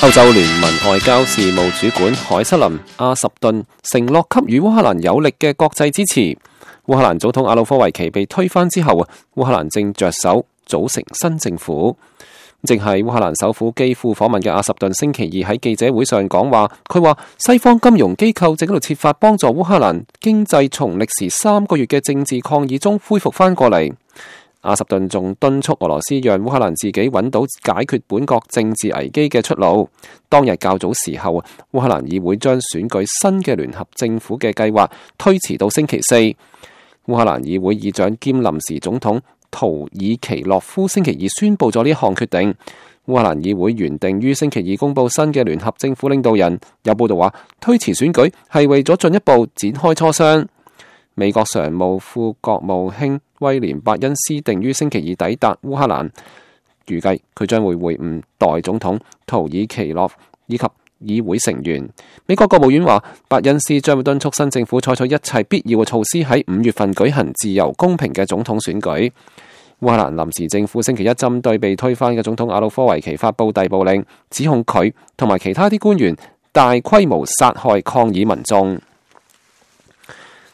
歐洲聯盟外交事務主管凱瑟琳·阿什頓承諾給予烏克蘭有力嘅國際支持。烏克蘭總統亞努科維奇被推翻之後，烏克蘭正着手組成新政府。正係烏克蘭首府基輔訪問嘅阿什頓星期二喺記者會上講話，佢話西方金融機構正喺度設法幫助烏克蘭經濟從歷時3個月嘅政治抗議中恢復翻過嚟。阿什頓仲敦促俄羅斯讓烏克蘭自己揾到解決本國政治危機嘅出路。當日較早時候，烏克蘭議會將選舉新嘅聯合政府嘅計劃推遲到星期四。烏克蘭議會議長兼臨時總統圖爾奇諾夫星期二宣布咗呢項決定。烏克蘭議會原定於星期二公布新嘅聯合政府領導人。有報道話，推遲選舉係為咗進一步展開磋商。美國常務副國務卿威廉伯恩斯定於星期二抵達烏克蘭，預計佢將會會晤代總統圖爾奇諾以及議會成員。美國國務院話，伯恩斯將會敦促新政府採取一切必要嘅措施，喺5月份舉行自由公平嘅總統選舉。烏克蘭臨時政府星期一針對被推翻嘅總統亞努科維奇發布逮捕令，指控佢同埋其他啲官員大規模殺害抗議民眾。